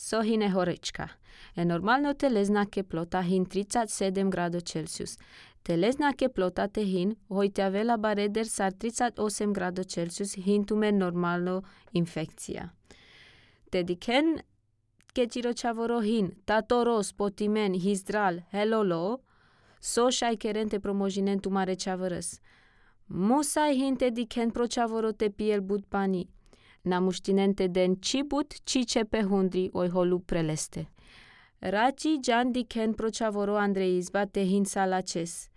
Sohine horečka. Normalno telesna teplota hin 37 gradov Celsius. Telesna teplota tehin hojtjavela bareder sar 38 gradov Celsius hintume normalno infekcija. Dediken keçiro čavoro hin tatoro spotimen hizdral helolo so šajkeren te promojinen tumare čavărăs. Musai hin te diken pro čavoro te piel bud pani. Namuștinente den cibut cicepe hundri oi holu preleste. Raci jan diken pro čavoro Andreizba te hin salaces.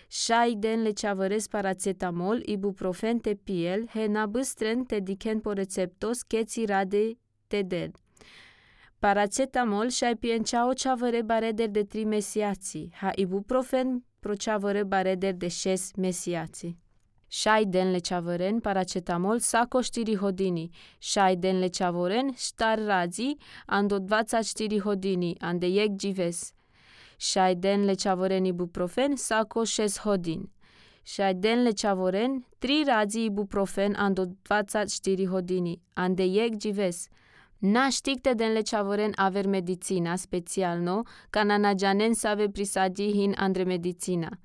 Șai den le čavărez paracetamol, ibuprofen te piel, he nabыстren te diken po receptos keți rade te den. Paracetamol șai pienceao čavăre bareder de 3 mesiații, ha ibuprofen pro čavăre bareder de 6 mesiații. Șai den le čavăren paracetamol sako 4 hodini, șai den le čavoren štar radzi ando 24 hodini, ande jek džives. Șai den le čavoren ibuprofen sako 6 hodin. Șai den le čavoren 3 radzi ibuprofen ando 24 hodini, ande jek džives. Naštikte den le čavoren aver medicina specialno, kana nađanen save prisadi hin andre medicina.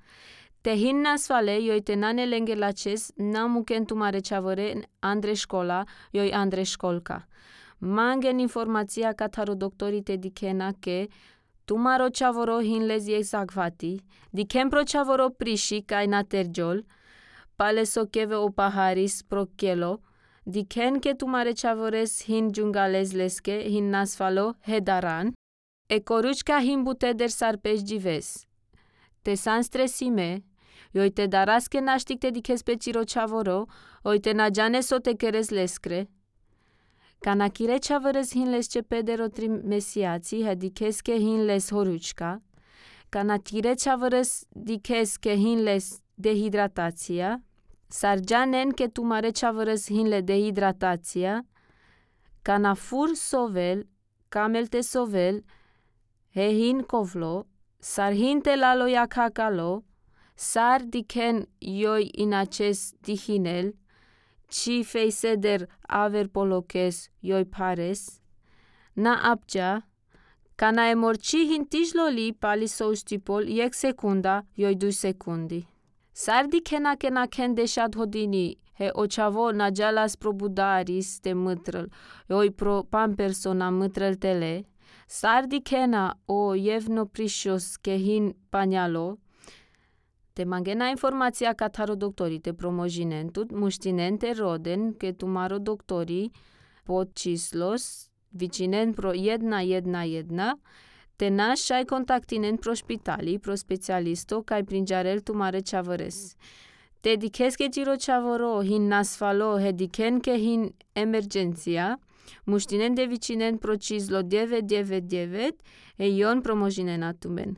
Te hin nasfale joj te nane lenge laces namuken tumare čavore andre škola joj andre školka. Mangen informația kataro doktori te dikena ke tumaro čavoro hin lezi exagvati, diken pro čavoro priši kaj na terjol, pale sokeve o paharis pro kielo, diken ke tumare čavores hin džungales leske hin nasfalo hedaran, e koručka hin buteder sarpeș džives. Te san stresime, joj te daraske naštikte dikes pe ciro čavoro, oj te nađane so te keres leskre. Kana kire čavores hin les čepedero 3 mesiaci, he dikeske hin les horučka. Kana kire čavores dikeske hin les dehidratația, sarđanen ke tumare čavores hin le dehidratația, kana fur sovel, kamelte sovel, he hin kovlo, sar hin te lalo jakakalo, sar diken joj inaces dihinel, ci feiseder aver polokes joj pares, na apja, kana emorci hin tijloli pali soustipol jek sekunda joj 2 sekundi. Sar dikena kena ken deșat hodini, he očavo nađalas pro budaris te mâtrăl, joj pro pampersona mâtrăl tele, sar dikena o jevno prišos ke hin paņalo, te mangena informația kataro doktori te promojinentut, muștinente roden ke tumaro doktori pod čislos, vicinen pro 111, te naš šaj kontaktinen pro špitali, pro specialisto kaj prinjarel tumare čavores. Te dikeske giro čavoro hin nasfalo he diken ke hin emergenția, muștinen de vicinen pro čizlo 999 e ion promojinen atumen.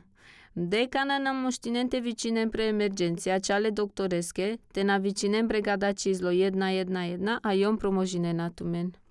Decana na muștinen te vicinen pre emergenția ceale doktoreske, te na vicinen brigada čizlo 111 a ion promojinen atumen.